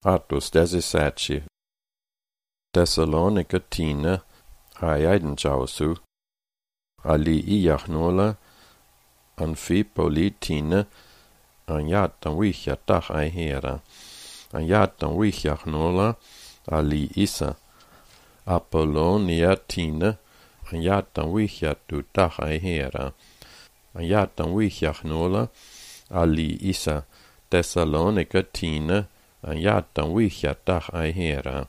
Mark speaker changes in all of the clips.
Speaker 1: Atus 17. Thessalonica tina aiden jausu. Ali iachnola Amfipolitina anjatan vihjatah aihera. Anjatan vihjachnola ali isa. Apollonia tina anjatan vihjatutah aihera. Anjatan vihjachnola ali isa. Thessalonica tina anjatan vihjatah aihera.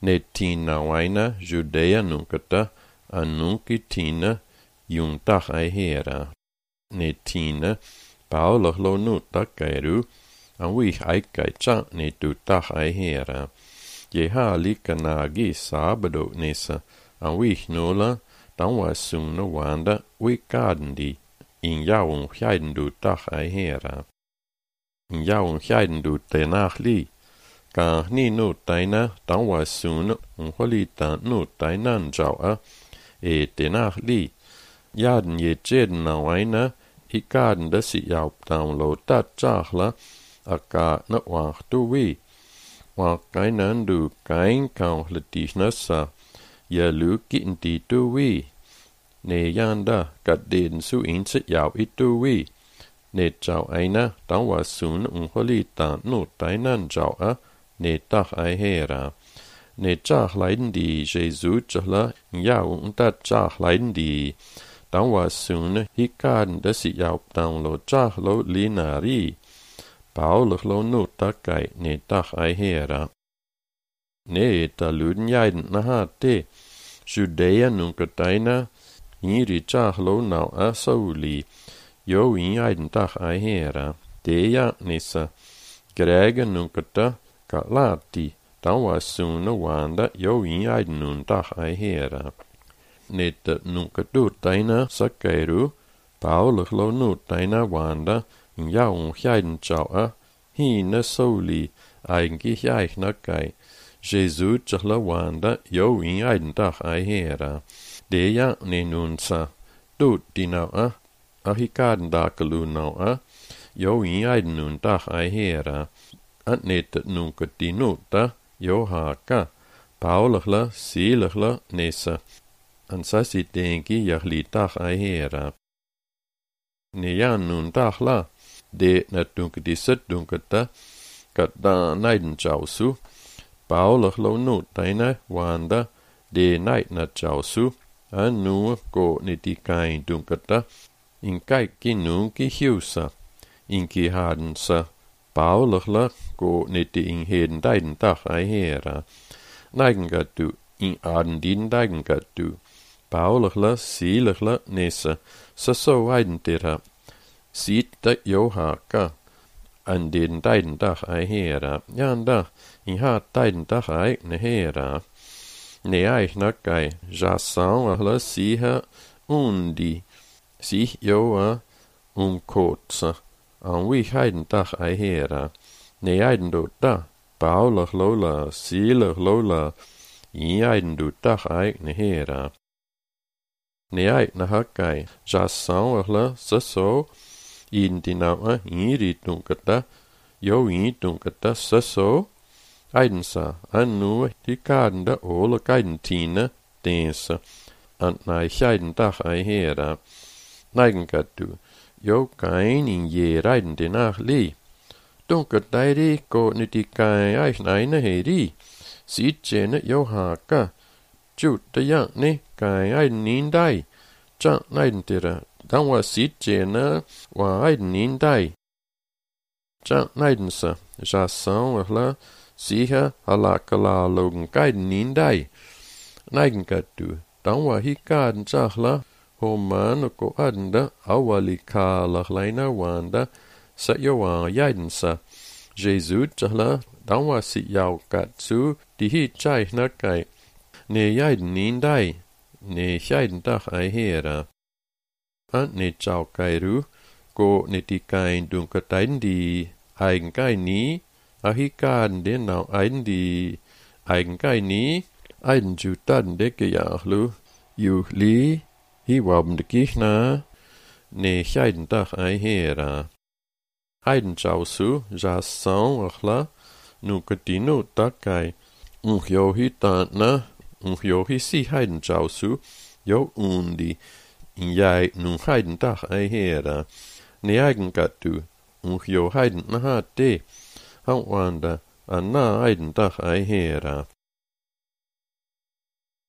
Speaker 1: Ne tina vaina Judea nunkata annunki tina juntah aihera. Ne tina Paulus lo nuta kairu an vih aikaitsa ne tutah aihera. Jeha likanagi sabado nesa an vih nola tanwa suna wanda wikadndi in jaun hjaidendu tah aihera. In jaun hjaidendu tenach li ka ni nutaina tanwa suna unholita nutaina njaua e tenach li jaden je jeden na waina ikaden da si jau download dat jachla aka na wach tu wi wa kainan du kain kaun letisnasa ya luki inti tu wi ne yanda kat den su inse jau itu wi ne jau aina tanwa suna unholita nutaina njaua ne tah aihera. Ne tjach leiden die Jesu tjachla jau unta tjach leiden die tanwa suna hikaden da si jau download tjach lo linari. Paulus lo nuta kai ne tah aihera. Ne ta luden jaiden na hate. Judea nunkataina hiri tjach lo nau a sauli. Jo in jaiden tah aihera. Deja nisa. Grega nunkata ka lati tanwa suna wanda jo in aiden nuntah aihera. Neta nunkatutaina sakairu Paulus lo nutaina wanda in jaun hjaiden jaua hina sauli ainki hjaikna kai. Jesu tjachla wanda jo in aiden tah aihera. Deja ne nunsa tut dinaua ahikaden dakalu naua jo in aiden nuntah aihera. Net nunkati nuta johaka Paulachla silachla nesa ansasi denki jahlitach aihera. Nejan nuntachla de natunkati setdunkata kata naiden jausu Paulachlo nutaina wanda de naidna jausu anu ko netikain dunkata in kaikki nunki hiusa inki hadensa Paulachla ko neti in heden deiden tach aihera. Neigengatu in aden din deigengatu. Paulachla silachla nesa saso aidentera. Sita johaka an den deiden tach aihera. Janda in hat deiden tach aigne hera. Ne aichna kai jasan ahla siha undi. Sich joa kotsa. An wi heiden tach aihera. Ne eiden do da. Paulach lola, silach lola. I eiden do tach aigne hera. Ne eitna hakai. Jas sauachla saso. In dinaua iri dunkata. Jo i dunkata saso. Eiden sa. Anu hikaden da ola kaiden tina. Densa. Ant na heiden tach aihera. Neigengatu. Jo kain in je reiden denach li. Dunket dairi ko nitikai aina heri. Siet jene jo haka. Jut de yang ne kai aiden nin dai. Jang naiden tira. Dan wa siet jene wa aiden nin dai. Jang naiden sa. Jasan wala siha halakala logen kaiden nin dai. Neigen katu. Dan wa hikaden jachla. Homan ko adenda awalika lachlaina wanda sa yoa yaidensa. Jesu tjahla danwa si yau katsu dihi chaihna kai. Ne yaiden nindai. Ne hjaiden tach aihera. Ant ne chau kairu ko netikain dunkataiden di eigenkai ni ahikaden den nau aiden di eigenkai ni aiden jutaden deke jachlu yu li hi wabm de kichna ne hjaiden tach aihera. Aiden jausu jas san achla nukatinu takai, johi taatna, johi si heiden jausu, jo undi, jij nu heiden dag ei hera, ne eigen gatu, jo heiden na de, wanda, na heiden dag ei hera.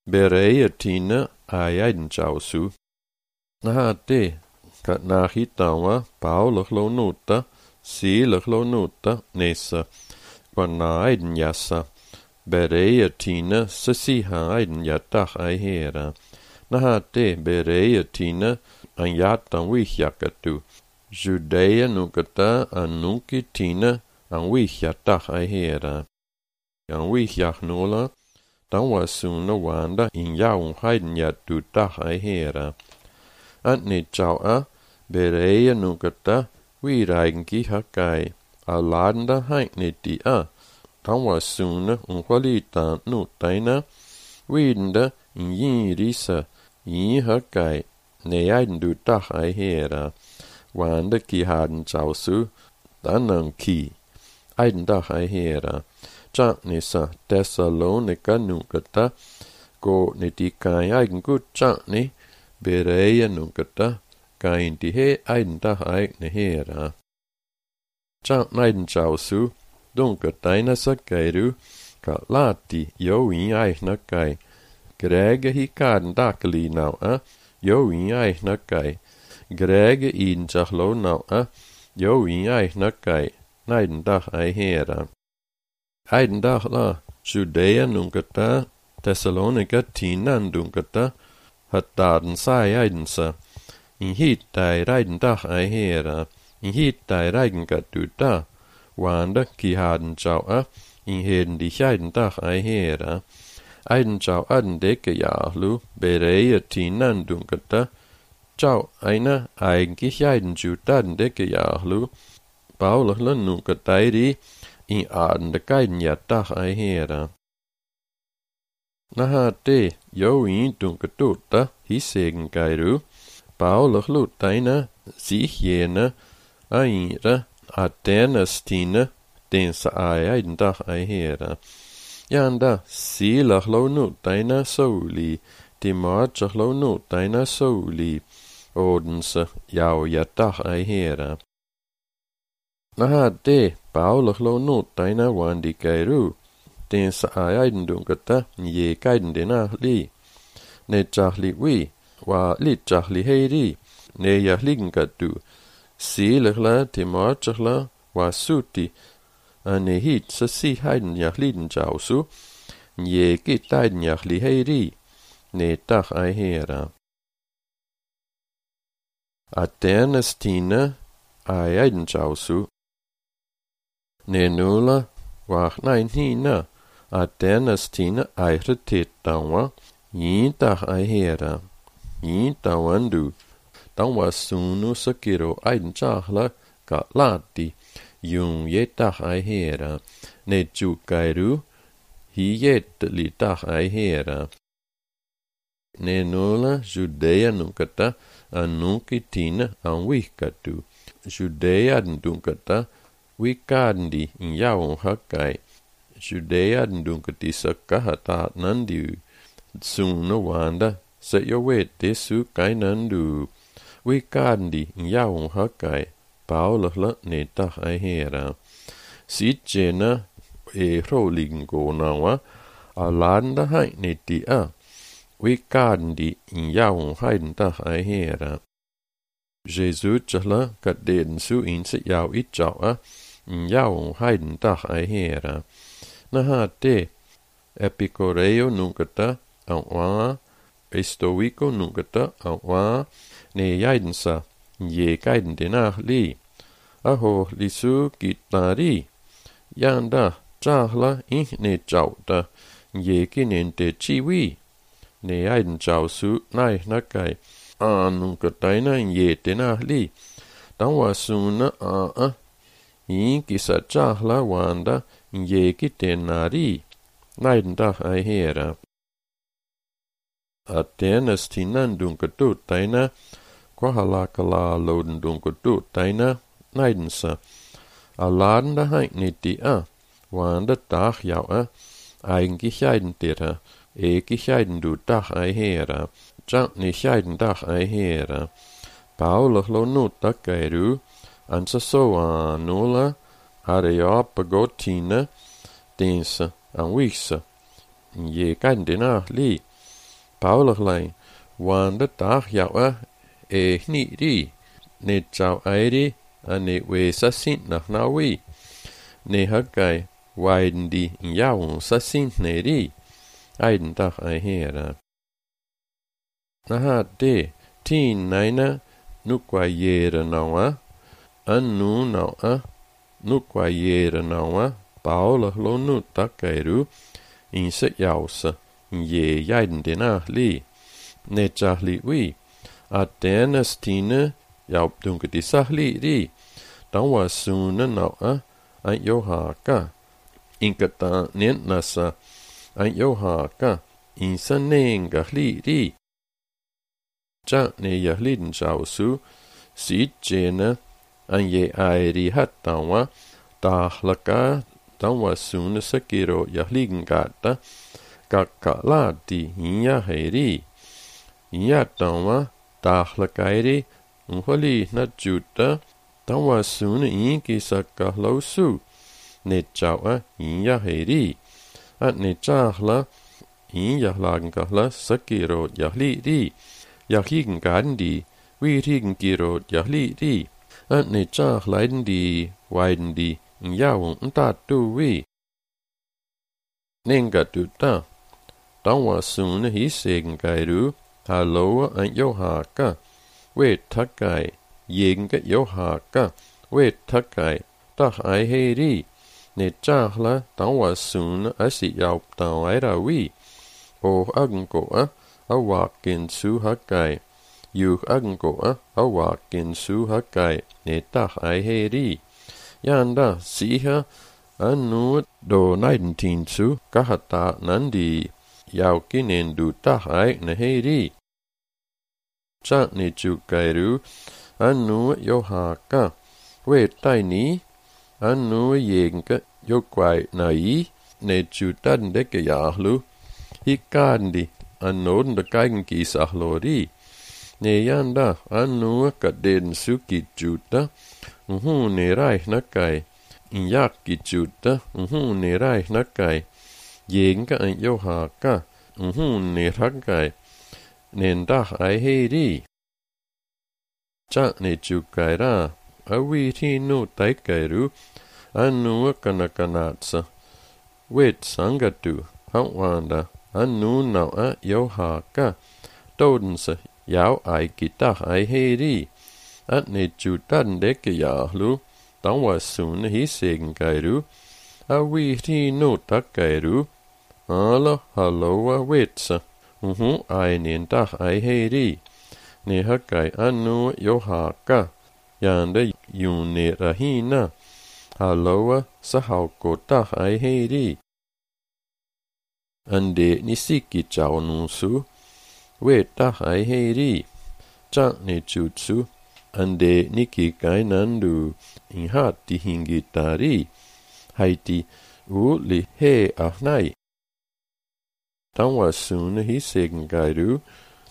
Speaker 1: Bereia tina ai eiden jausu, na de, kat na hitawa, paulig lo nuta, sielig lo nuta, nesa, quan na eiden jassa, bereia tina, sasiha eiden jadag ei hera. Na de bereia tina, an jatan wihjakatu, Judea nukata an nuki tina, an wihjadag ei hera. An wihjak nola, dan was suna wanda in jaun heiden jatu dag ei hera. Ant ne jaua, bereia nukata, wireigenki hakai, a ladenda heink ne di a, dan was suna unqualita nutaina, widenda in jirisa, hakai, ne eiden du dag ei hera, wanda ki haden jausu, dan ki, eiden dag ei hera. Nisa Thessalonica nukata, go ne di kai eigen gut ni, bereia nukata, kain di he eiden dag eigne hera. Neiden jausu, dunkataina sakeiru, ka lati jo in eigna kai, grege hi kaden dakeli nau jo in eigna kai, grege in jachlo nau jo in eigna kai, neiden dag ei hera. Eiden dag la, Judea nunkata, Thessalonica tinan dunkata, hat daden sai eidensa, in hit dai reiden dag ei hera, in hit dai reigen gatu da, wanda ki haden jau in heden die eiden dag ei hera, eiden jau aden deke jaarlu, bereia tinan dunkata, jau eina eigentlich eiden ju daden deke jaarlu, baulich nunkatairi, in aden de geiden ja dag ei hera. Na de, jo in dunkatutta, hissegen geiru, baulich lutaina, sich jene, aira, adenastine, den sa eiden dag ei hera. Janda, silach lo nutaina souli, die marchach lo nutaina souli, odense, jau ja dag ei hera. Na de, baulich lo nutaina wandi geiru, den sa eiden dunkata, je geiden dena li. Ne jachli wi, wa li jachli heiri, ne ja ligen gadu, sielechla, timorchachla, wa suti, ne hit sa si heiden ja liden jausu, je git eiden ja li heiri, ne dag ei hera. Adenastine, eiden jausu, ne nula, wach nein hina, adenastine eire tetawa, yin dag ei hera, yin tawandu, dan was sunu sakiro eiden jachla, ka lati, jung je dag ei hera, ne jukairu, hi jet li dag ei hera. Ne nula, Judea nunkata, an nunki tina an wihkatu, Judea dunkata, wikandi in jaun hakai, Judea dunkati sakahata nandu, suna wanda, sa jo wete su kai nandu, wikandi in jaun hakai, paulachla ne dag ei hera. Sitjena roligen gonawa, alanda hai ne di wikandi in jaun heiden dag ei hera. Jesu tjachla kat den su inse jau itjau in jaun heiden dag ei hera. Na de, epicoreo nunkata, au estoico nunkata, au ne jaidensa, je geiden denach li. Aho lisu gitnari, janda, jahla ne jauta, je kinente chiwi, ne jaiden jausu nai nakai, nunkataina je denach li. Dan wasuna kisa jahla wanda, je kitenari, neiden dag ei hera. Adenastinen dunkatutaina, kwahalakala loden dunkatutaina, neidensa. Aladenda heink niti wanda dag jou eigengescheiden dira, gescheiden du dag ei hera, jant ni scheiden dag ei hera. Paulig lo nu takairu, ansa soa nula, areopa gotina, densa, an wisa. Je kan dina li. Paulig lijn, wanda dag jou niet ri. Ne jau eiri, an ne wesa sint nach na wi. Ne hakai, waiden di jou sa sint ne ri. Eiden dag ei hera. Naha de, tien naina, nukwa jere nawa, nu nawa, nukwa jere nawa, paulig lo nu takairu, in se jausa, in je jaiden dina li. Ne jah li wi. A denas tine, jou dunke di sah li ri. Dan was sune nawa, an jo haka. Inkata nient nasa, an jo haka, in sa nenga li ri. Ja ne jahliden jausu, sit jene, an je airi hat danwa, dahlaka, danwa sune sakiro jahligen gata, kakala di hinya heri. Hinya danwa, dahlakairi, unholi na juta, danwa sune inki sakahlosu, ne jawa hinya heri. At ne jahla, hinya lagenkahla sakiro jahli ri. Jahigen gaden die, wie higen giro jahli di. An ne jah leiden die, weiden die, in jou en dat du wie. Nenga du da. Dan was sune hi segen gairu, halloa an jo haka. We takai, jenga jo haka. We takai, dag ei heri. Ne jahla, dan was sune asi jou dan eira wie. O agengoa. Awakin su hakai. Juk agengoa, awakin su hakai. Ne dag ei heri. Janda, siha, anu do 19 su, kahata nandi. Jou kinen du dag ei ne heri. Chak ne chukairu, anu jo haka. We taini, anu jenke, jo kwai nai, ne chutan deke jahlu. Hikandi. An noden de geigen gisach lori. Ne yanda, an nu kaden suki juta, ne reich nakai. In jak gijuta, ne reich nakai. Jenga an johaka, ne rakai. Nen dag ei heri. Chak ne chukaira, awi ti nu taikairu, an nu kanakanatsa. Wet sangatu, hawanda. An nu nawa jo haka, dodense, jou ei gidag ei heri. At ne jutan deke jahlu, dan was sune hi segen gairu. A wi ti nu tak gairu. Halloa wetsa. Ei nen dag ei heri. Ne hakai an nu jo haka. Jande june rahina. Halloa sahauko dag ei heri. Ande nisiki jau nusu, we dag ei heri. Chak ne jutsu, ande niki kainandu, in hat di hingitari. Haiti li he ahnai. Dan was sune hi segen gairu,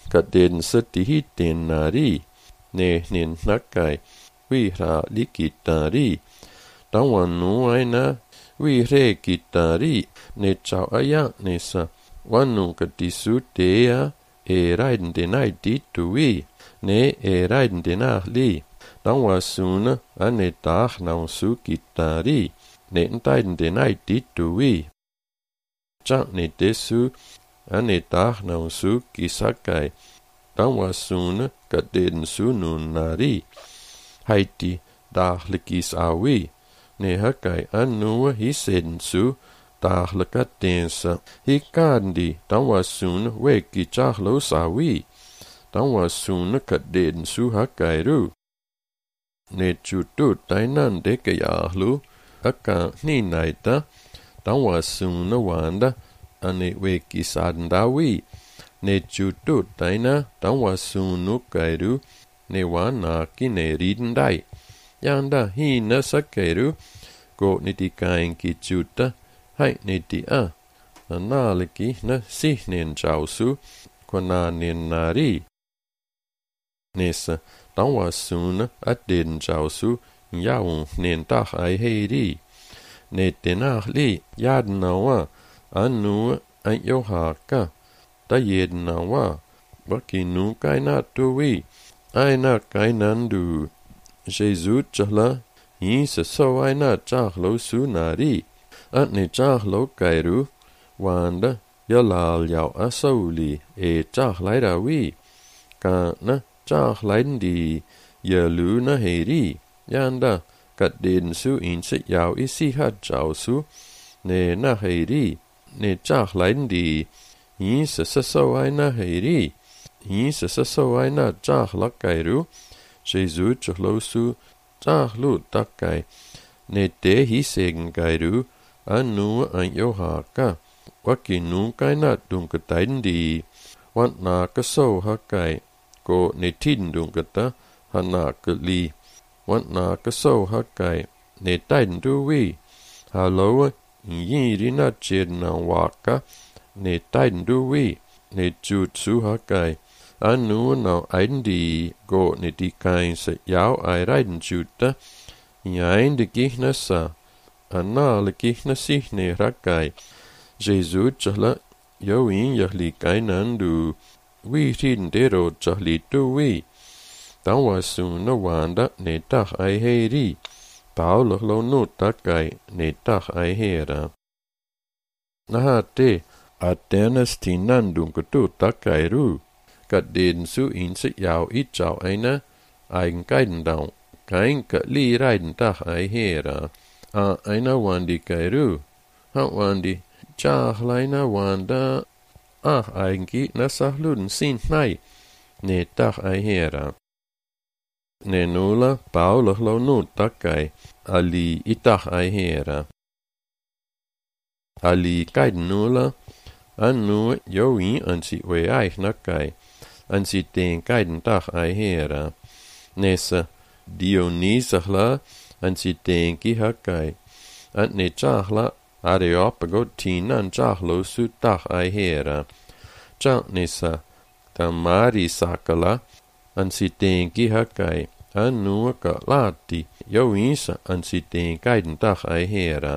Speaker 1: kat den seti hi den nari. Ne nin nakai, we ra likitari. Dan wan nu aina, we re gitari. Ne chau aya nesa, wanu katisu dea, reiden denai ditu wi, ne reiden denai li. Dan was sune, ane dag nou su gitari, ne entaiden denai ditu wi. Chak ne desu, ane dag nou su gisakai, dan was sune, kaden su nun nari. Haiti, daglikis awi, ne hakai anu hisen su, dagelijke tensa. Hikandi, dan was soon weki chahlo sawi. Dan was soon kaden su hakairu. Ne chutut dainan deke yahlu, aka ni naita, dan was soon wanda, ane weki sadandawi. Ne chutut daina, dan was soon nukairu, ne wana ki ne ridendai. Yanda hi na sakairu, go nitikain ki juta hai nitia analiki na sihnen jausu kwana nen nari nesa tawa suna aden jausu yaun nen tak ai heiri ne tenahli yad nawa anu ai yohaka ta yed nawa bakinu kaina tuwi aina kainandu Jesus chahla Isa so aina chahlo sunari atne chahlo kairu wanda yalal yau asauli e chahlai rawi kana chahlain di yalu na heri yanda kat den su in se yau isi hat chau su ne na heri ne chahlain di Isa so aina heri Isa so aina chahla kairu Jesus chahlo su chahlu takai ne te hi segen kairu anu an yohaka wakinu kaina dunkatain di want na ka so hakai ko ne tin dunkata hana kali want na ka so hakai ne tain duwi halo yi rina chen na waka ne tain duwi ne jutsu hakai anu na aindi go ne di kain se yau ai raiden juta yain de gihnasa anna le gihnasi ne rakai Jesus chahla yoin yahli kainandu wi tin dero chahli tu wi tawa suna wanda ne tak ai heri paulo lo no takai ne tak ai hera nahate atenas tinandung kutu takai ru kat den su in se yau I chau aina ein kaiden dau kain ka li raiden tak ai hera a aina wandi kairu ha wandi chahlaina wanda ainki nasahlun sin nai ne tak ai hera ne nula paulo lo nu takai ali itak ai hera ali kaiden nula anu yoin ansi we ai nakai ansi ten kaiden tak ai hera nesa Dionysahla ansi ten ki hakai an ne chahla Areopago tinan chahlo su tak ai hera chak nesa tamari sakala ansi ten ki hakai anu ka lati yoinsa ansi ten kaiden tak ai hera